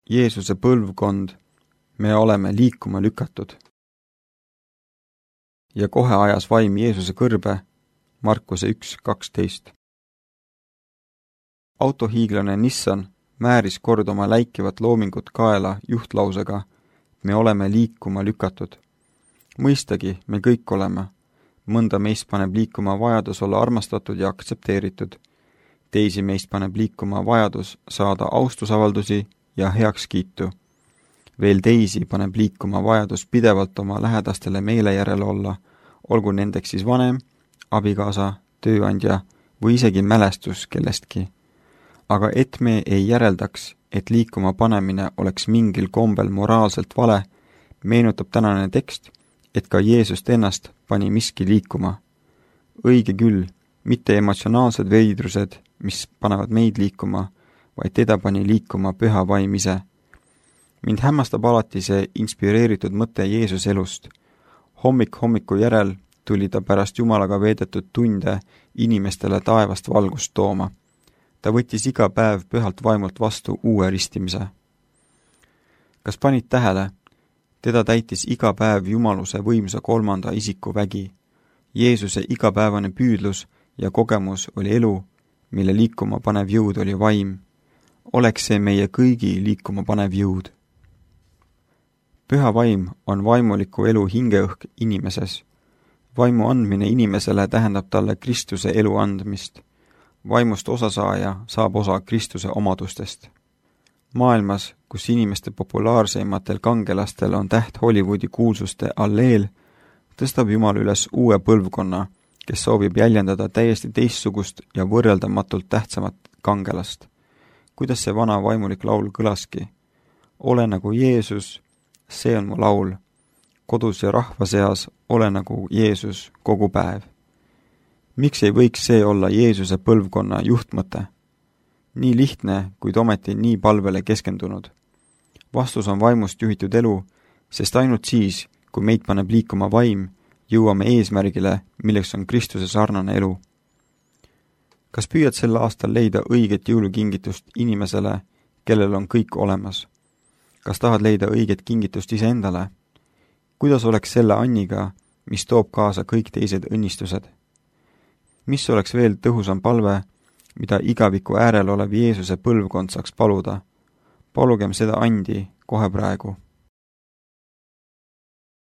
Jeesuse põlvkond, me oleme liikuma lükatud. Ja kohe ajas vaim Jeesuse kõrbe, Markuse 1:12. Autohiiglane Nissan määris kord oma läikivat loomingut kaela juhtlausega, me oleme liikuma lükatud. Mõistagi, me kõik oleme. Mõnda meist paneb liikuma vajadus olla armastatud ja aktsepteeritud. Teisi meist paneb liikuma vajadus saada austusavaldusi ja heakskiitu. Veel teisi paneb liikuma vajadus pidevalt oma lähedastele meele järele olla, olgu nendeks siis vanem, abikaasa, tööandja või isegi mälestus kellestki. Aga et me ei järeldaks, et liikuma panemine oleks mingil kombel moraalselt vale, meenutab tänane tekst, et ka Jeesust ennast pani miski liikuma. Õige küll, mitte emotsionaalsed veidrused, mis panevad meid liikuma, vaid teda pani liikuma püha vaim ise. Mind hämmastab alati see inspireeritud mõte Jeesuse elust. Hommiku järel tuli ta pärast Jumalaga veedetud tunde inimestele taevast valgust tooma. Ta võttis iga päev pühalt vaimult vastu uue ristimise. Kas panid tähele? Teda täitis iga päev jumaluse võimsa kolmanda isiku vägi. Jeesuse igapäevane püüdlus ja kogemus oli elu, mille liikuma panev jõud oli vaim. Oleks see meie kõigi liikuma panev jõud. Püha vaim on vaimuliku elu hingeõhk inimeses. Vaimu andmine inimesele tähendab talle Kristuse elu andmist. Vaimust osasaaja saab osa Kristuse omadustest. Maailmas, kus inimeste populaarseimatel kangelastel on täht Hollywoodi kuulsuste alleel, tõstab Jumal üles uue põlvkonna, kes soovib jäljendada täiesti teistsugust ja võrreldamatult tähtsamat kangelast. Kuidas see vana vaimulik laul kõlaski? Ole nagu Jeesus, see on mu laul. Kodus ja rahva seas ole nagu Jeesus kogu päev. Miks ei võiks see olla Jeesuse põlvkonna juhtmõte? Nii lihtne, kuid ometi nii palvele keskendunud. Vastus on vaimust juhitud elu, sest ainult siis, kui meid paneb liikuma vaim, jõuame eesmärgile, milleks on Kristuse sarnane elu. Kas püüad sel aastal leida õiget jõulukingitust inimesele, kellel on kõik olemas? Kas tahad leida õiget kingitust iseendale? Kuidas oleks selle anniga, mis toob kaasa kõik teised õnnistused? Mis oleks veel tõhusam palve, mida igaviku äärel olev Jeesuse põlvkond saaks paluda? Palugem seda andi kohe praegu.